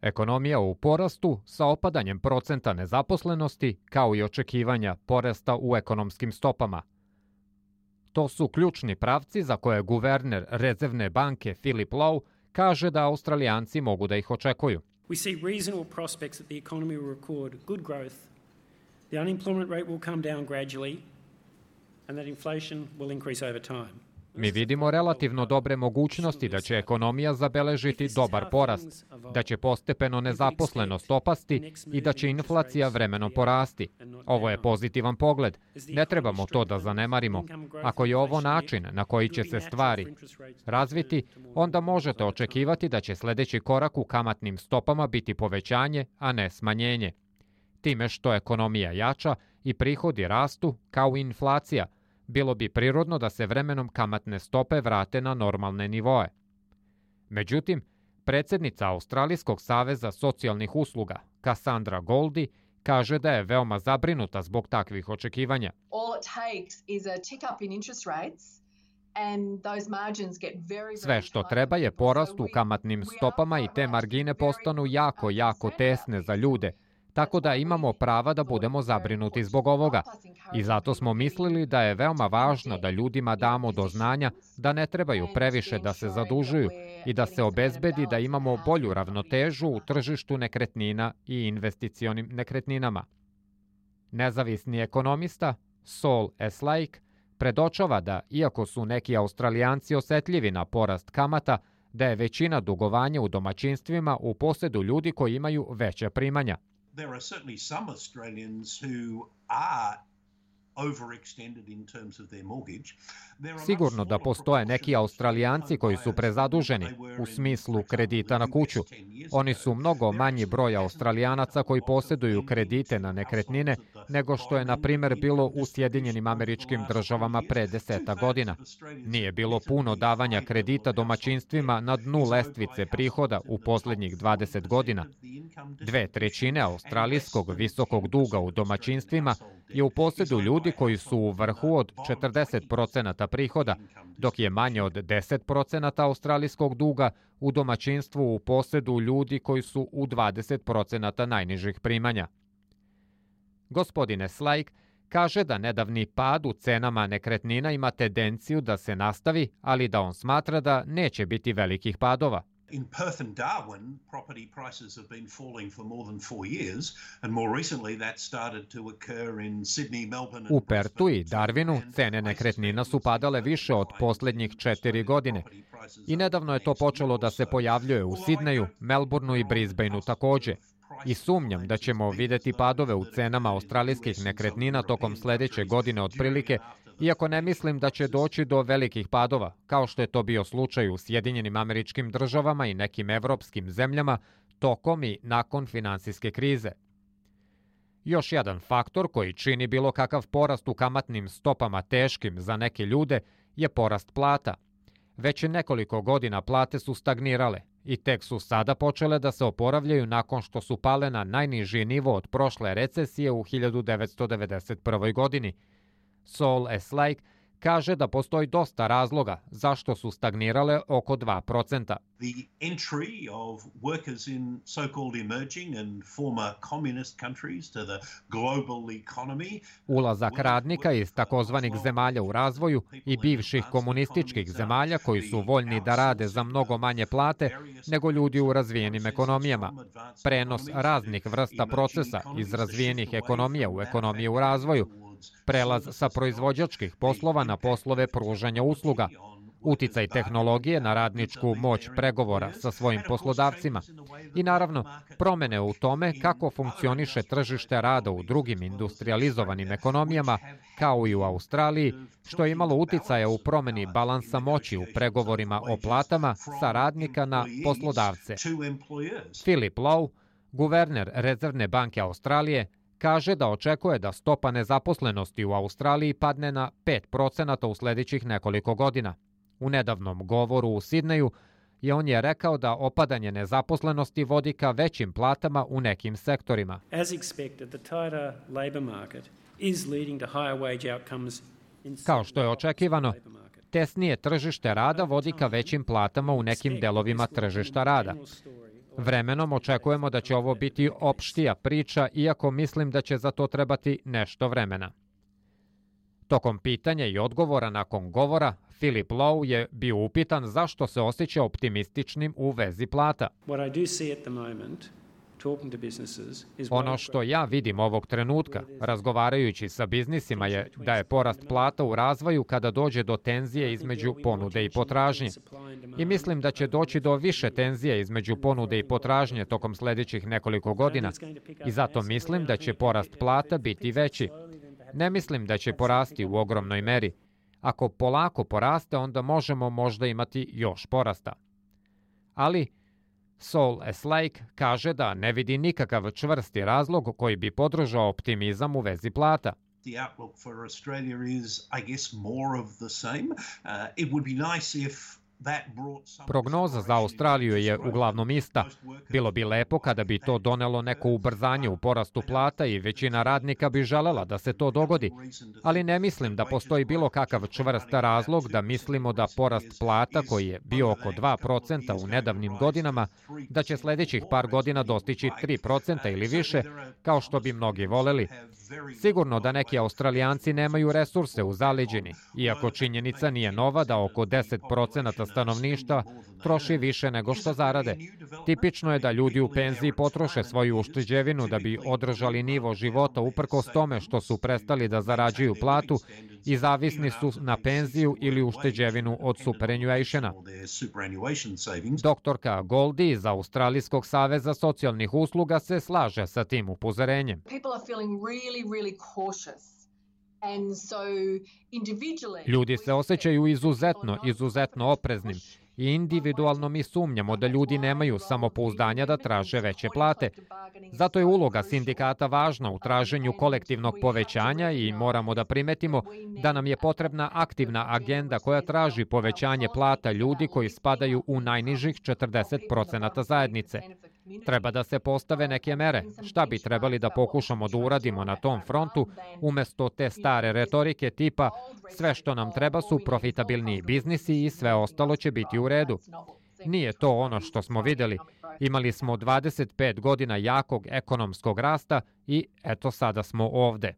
Ekonomija u porastu sa opadanjem procenta nezaposlenosti kao i očekivanja porasta u ekonomskim stopama. To su ključni pravci za koje guverner Rezervne banke Philip Lowe kaže da Australijanci mogu da ih očekuju. We see reasonable prospects that the economy will record good growth, the unemployment rate will come down gradually, and that inflation will increase over time. Mi vidimo relativno dobre mogućnosti da će ekonomija zabeležiti dobar porast, da će postepeno nezaposlenost opasti i da će inflacija vremenom porasti. Ovo je pozitivan pogled. Ne trebamo to da zanemarimo. Ako je ovo način na koji će se stvari razviti, onda možete očekivati da će sledeći korak u kamatnim stopama biti povećanje, a ne smanjenje. Time što ekonomija jača i prihodi rastu kao i inflacija, bilo bi prirodno da se vremenom kamatne stope vrate na normalne nivoe. Međutim, predsjednica Australijskog saveza socijalnih usluga, Cassandra Goldie, kaže da je veoma zabrinuta zbog takvih očekivanja. Sve što treba je porast u kamatnim stopama i te margine postanu jako tesne za ljude, tako da imamo prava da budemo zabrinuti zbog ovoga. I zato smo mislili da je veoma važno da ljudima damo do znanja da ne trebaju previše da se zadužuju i da se obezbedi da imamo bolju ravnotežu u tržištu nekretnina i investicionim nekretninama. Nezavisni ekonomista Saul Eslake predočava da, iako su neki Australijanci osetljivi na porast kamata, da je većina dugovanja u domaćinstvima u posedu ljudi koji imaju veća primanja. There are certainly some Australians who are overextended in terms of their mortgage. Sigurno da postoje neki Australijanci koji su prezaduženi u smislu kredita na kuću. Oni su mnogo manji broj Australijanaca koji posjeduju kredite na nekretnine nego što je, na primjer, bilo u Sjedinjenim Američkim Državama pre 10 godina. Nije bilo puno davanja kredita domaćinstvima na dnu lestvice prihoda u posljednjih 20 godina. 2/3 australijskog visokog duga u domaćinstvima je u posjedu ljudi koji su u vrhu od 40% prihoda, dok je manje od 10% australijskog duga u domaćinstvu u posjedu ljudi koji su u 20% najnižih primanja. Gospodine Slake kaže da nedavni pad u cenama nekretnina ima tendenciju da se nastavi, ali da on smatra da neće biti velikih padova. In Perth and Darwin, property prices have been falling for more than 4 years, and more recently that started to occur in Sydney, Melbourne. U Pertu i Darwinu cene nekretnina su padale više od posljednjih 4 godine. I nedavno je to počelo da se pojavljuje u Sidneju, Melbourneu i Brisbaneu takođe. I sumnjam da ćemo videti padove u cenama australijskih nekretnina tokom sledeće godine otprilike, iako ne mislim da će doći do velikih padova, kao što je to bio slučaj u Sjedinjenim Američkim Državama i nekim evropskim zemljama tokom i nakon finansijske krize. Još jedan faktor koji čini bilo kakav porast u kamatnim stopama teškim za neke ljude je porast plata. Već nekoliko godina plate su stagnirale i tek su sada počele da se oporavljaju nakon što su pale na najniži nivo od prošle recesije u 1991. godini. Saul Eslake kaže da postoji dosta razloga zašto su stagnirale oko 2%. The entry of workers in so-called emerging and former communist countries to the global economy. Ulazak radnika iz takozvanih zemalja u razvoju i bivših komunističkih zemalja koji su voljni da rade za mnogo manje plate nego ljudi u razvijenim ekonomijama. Prenos raznih vrsta procesa iz razvijenih ekonomija u ekonomije u razvoju. Prelaz sa proizvođačkih poslova na poslove pružanja usluga, uticaj tehnologije na radničku moć pregovora sa svojim poslodavcima i naravno promene u tome kako funkcioniše tržište rada u drugim industrializovanim ekonomijama, kao i u Australiji, što je imalo uticaja u promeni balansa moći u pregovorima o platama sa radnika na poslodavce. Philip Lowe, guverner Rezervne banke Australije, kaže da očekuje da stopa nezaposlenosti u Australiji padne na 5% u sljedećih nekoliko godina. U nedavnom govoru u Sidneju on je rekao da opadanje nezaposlenosti vodi ka većim platama u nekim sektorima. Kao što je očekivano, tesnije tržište rada vodi ka većim platama u nekim delovima tržišta rada. Vremenom očekujemo da će ovo biti opštija priča, iako mislim da će za to trebati nešto vremena. Tokom pitanja i odgovora nakon govora, Philip Lowe je bio upitan zašto se osjeća optimističnim u vezi plata. Ono što ja vidim ovog trenutka, razgovarajući sa biznisima, je da je porast plata u razvoju kada dođe do tenzije između ponude i potražnje. I mislim da će doći do više tenzije između ponude i potražnje tokom sljedećih nekoliko godina. I zato mislim da će porast plata biti veći. Ne mislim da će porasti u ogromnoj meri. Ako polako poraste, onda možemo možda imati još porasta. Ali Saul Eslake kaže da ne vidi nikakav čvrsti razlog koji bi podržao optimizam u vezi plata. The outlook for Australia is, I guess, more of the same. It would be nice if Prognoza za Australiju je uglavnom ista. Bilo bi lepo kada bi to donelo neko ubrzanje u porastu plata i većina radnika bi želela da se to dogodi. Ali ne mislim da postoji bilo kakav čvrst razlog da mislimo da porast plata, koji je bio oko 2% u nedavnim godinama, da će sljedećih par godina dostići 3% ili više, kao što bi mnogi voleli. Sigurno da neki Australijanci nemaju resurse u zaleđini, iako činjenica nije nova da oko 10% stanovništva troši više nego što zarade. Tipično je da ljudi u penziji potroše svoju ušteđevinu da bi održali nivo života uprkos tome što su prestali da zarađuju platu i zavisni su na penziju ili ušteđevinu od superannuationa. Doktorka Goldie iz Australijskog saveza socijalnih usluga se slaže sa tim upozorenjem. Ljudi se osjećaju izuzetno opreznim i individualno mi sumnjamo da ljudi nemaju samopouzdanja da traže veće plate. Zato je uloga sindikata važna u traženju kolektivnog povećanja i moramo da primetimo da nam je potrebna aktivna agenda koja traži povećanje plata ljudi koji spadaju u najnižih 40% zajednice. Treba da se postave neke mere. Šta bi trebali da pokušamo da uradimo na tom frontu, umjesto te stare retorike tipa sve što nam treba su profitabilniji biznisi i sve ostalo će biti u redu. Nije to ono što smo vidjeli. Imali smo 25 godina jakog ekonomskog rasta i eto sada smo ovde.